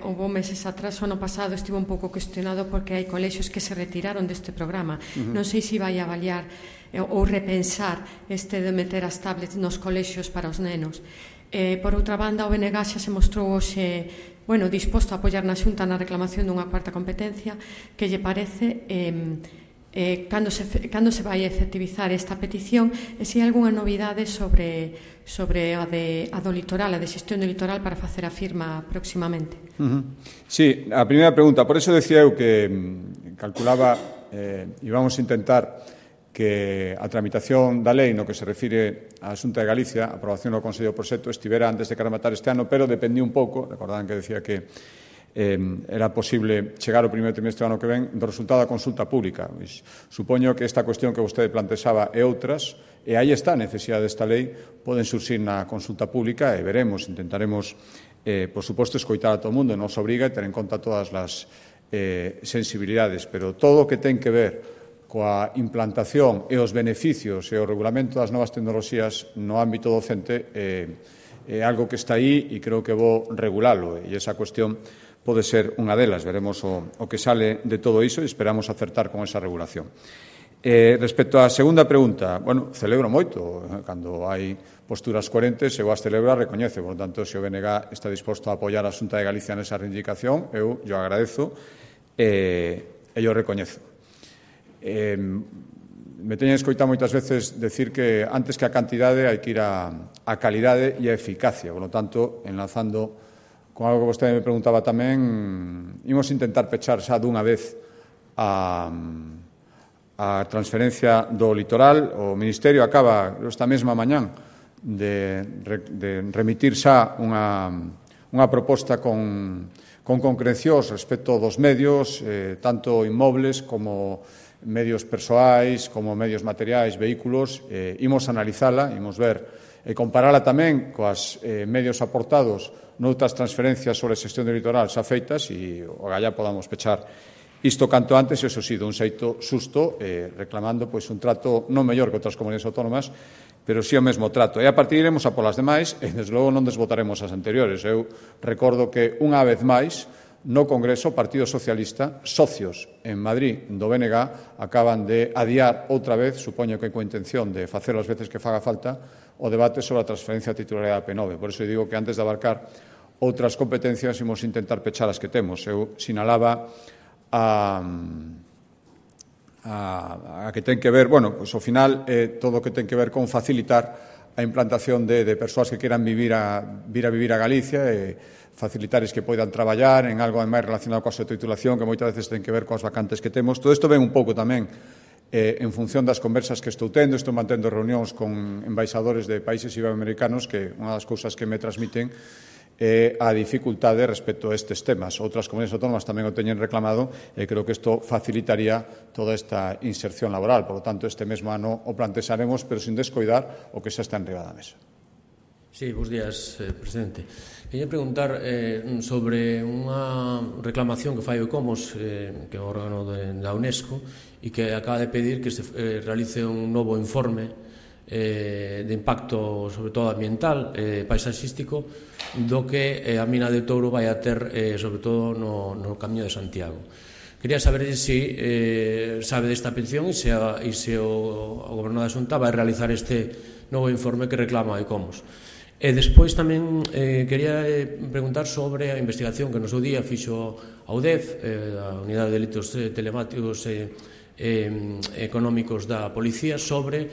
houve meses atrás, o ano pasado, estivo un pouco cuestionado porque hai colexios que se retiraron deste programa. Non sei se vai avaliar ou repensar este de meter as tablets nos colexios para os nenos. Por outra banda, o BNG xa se mostrou hoxe disposto a apoiar na Xunta na reclamación dunha cuarta competencia. Que lle parece cando se vai efectivizar esta petición e se hai algunha novidade sobre a do litoral, a de xestión do litoral para facer a firma próximamente? Sí, a primeira pregunta, por eso decía eu que calculaba íbamos a intentar que a tramitación da lei no que se refire á Xunta de Galicia, a aprobación do Consello do Proxecto, estivera antes de rematar este ano, pero dependía un pouco, recordaban que decía que era posible chegar ao primeiro trimestre do ano que ven do resultado da consulta pública. Supoño que esta cuestión que vostede plantexaba e outras, e aí está a necesidade desta lei, poden surxir na consulta pública e veremos, intentaremos, por suposto, escoitar a todo o mundo, nos obriga e ter en conta todas as sensibilidades, pero todo o que ten que ver coa implantación e os beneficios e o regulamento das novas tecnoloxías no ámbito docente é algo que está aí e creo que vou regulalo, e esa cuestión pode ser unha delas. Veremos o que sale de todo iso e esperamos acertar con esa regulación. Respecto á segunda pregunta, celebro moito cando hai posturas coherentes, eu as celebro e recoñece, por tanto, se o BNG está disposto a apoiar a Xunta de Galicia nesa reivindicación, eu agradezo e eu recoñezo. Me teñen escoitado moitas veces decir que antes que a cantidade hai que ir a calidade e a eficacia, por lo tanto, enlazando con algo que vostede me preguntaba tamén, imos intentar pechar xa dunha vez a transferencia do litoral. O Ministerio acaba esta mesma mañán de remitir xa unha proposta con concrecións respecto dos medios, tanto inmobles como medios persoais, como medios materiais, vehículos. Imos analizala, imos ver e comparala tamén coas medios aportados noutras transferencias sobre a xestión do litoral xa feitas e o galla podamos pechar isto canto antes, e iso sí, dun xeito susto, reclamando un trato non mellor que outras comunidades autónomas, pero sí o mesmo trato. E a partir iremos a polas demais e, desde logo, non desbotaremos as anteriores. Eu recordo que, unha vez máis, no Congreso, o Partido Socialista, socios en Madrid do BNG, acaban de adiar outra vez, supoño que coa intención de facelo as veces que faga falta, o debate sobre a transferencia de titularidade da P9. Por iso digo que antes de abarcar outras competencias imos intentar pechar as que temos. Eu sinalaba a que ten que ver, ao final, todo o que ten que ver con facilitar a implantación de persoas que queran vir a vivir a Galicia e facilitares que poidan traballar en algo máis relacionado coa súa titulación, que moitas veces ten que ver coas vacantes que temos. Todo isto ven un pouco tamén en función das conversas que estou tendo. Estou mantendo reunións con embaixadores de países iberoamericanos que unha das cousas que me transmiten é a dificultade respecto a estes temas. Outras comunidades autónomas tamén o teñen reclamado e creo que isto facilitaría toda esta inserción laboral. Por lo tanto, este mesmo ano o plantexaremos, pero sin descoidar o que xa está enriba da mesa. Sí, bons días, presidente. Quería preguntar sobre unha reclamación que fai o ICOMOS, que é o órgano da UNESCO, e que acaba de pedir que se realice un novo informe de impacto, sobre todo ambiental, paisaxístico, do que a mina de Touro vai a ter, sobre todo no Camiño de Santiago. Quería saber se sabe desta petición e se o Goberno da Xunta vai realizar este novo informe que reclama a ICOMOS. E despois tamén quería preguntar sobre a investigación que no seu día fixo a UDEF, a Unidade de Delitos Telemáticos económicos da policía sobre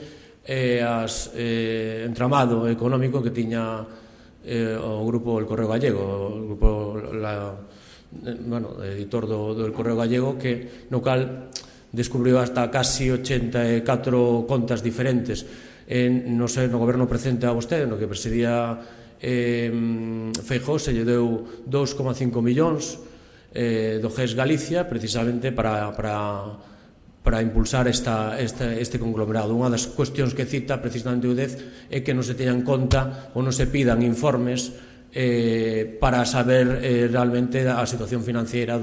as entramado económico que tiña o grupo El Correo Gallego, o grupo editor do El Correo Gallego, que no cal descubriu hasta casi 84 contas diferentes no goberno presente a vostede, no que presidía Feijóo, se lle deu 2,5 millóns do GES Galicia precisamente para impulsar este conglomerado. Unha das cuestións que cita precisamente o DEZ é que non se teñan conta ou non se pidan informes para saber realmente a situación financiera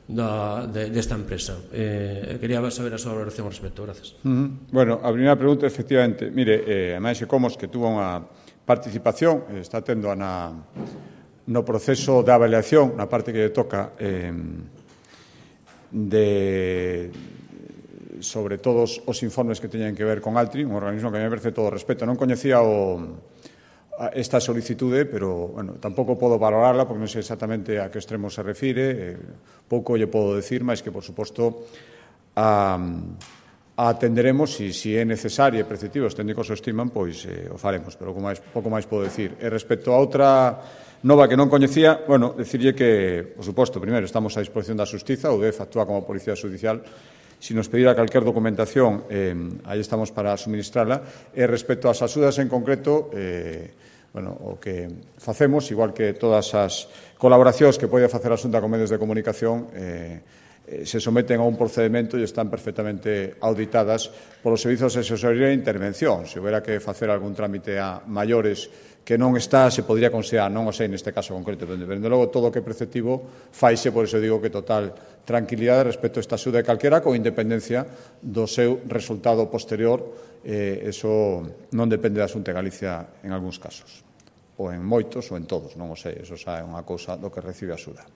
desta empresa. Quería saber a súa valoración ao respecto. Gracias. Bueno, a primeira pregunta, efectivamente, mire, a Maese Comos, que tuvo unha participación, está tendo no proceso de avaliación, na parte que lle toca sobre todos os informes que teñen que ver con Altri, un organismo que me merece todo o respeto. Non coñecía esta solicitude, pero tampouco podo valorarla porque non sei exactamente a que extremo se refire, pouco lle podo decir, mas que, por suposto, a atenderemos e se é necesario e preceptivo, os técnicos o estiman, pois o faremos, pero pouco máis podo decir. E respecto a outra nova que non coñecía, decirlle que, por suposto, primeiro, estamos a disposición da Xustiza, o DEF actúa como Policía Judicial. Se nos pedira calquer documentación, aí estamos para suministrala. E respecto ás axudas en concreto, o que facemos, igual que todas as colaboracións que pode facer a Xunta con medios de comunicación, se someten a un procedimento e están perfectamente auditadas polos servizos de asesoría e intervención. Se houbera que facer algún trámite a maiores que non está, se podría considerar, non o sei neste caso concreto, pero de logo todo o que é preceptivo faise, por iso digo que total tranquilidade respecto a esta axuda de calquera, con independencia do seu resultado posterior. Eso non depende da Xunta de Galicia en algúns casos, ou en moitos ou en todos, non o sei, eso xa é unha cousa do que recibe a axuda.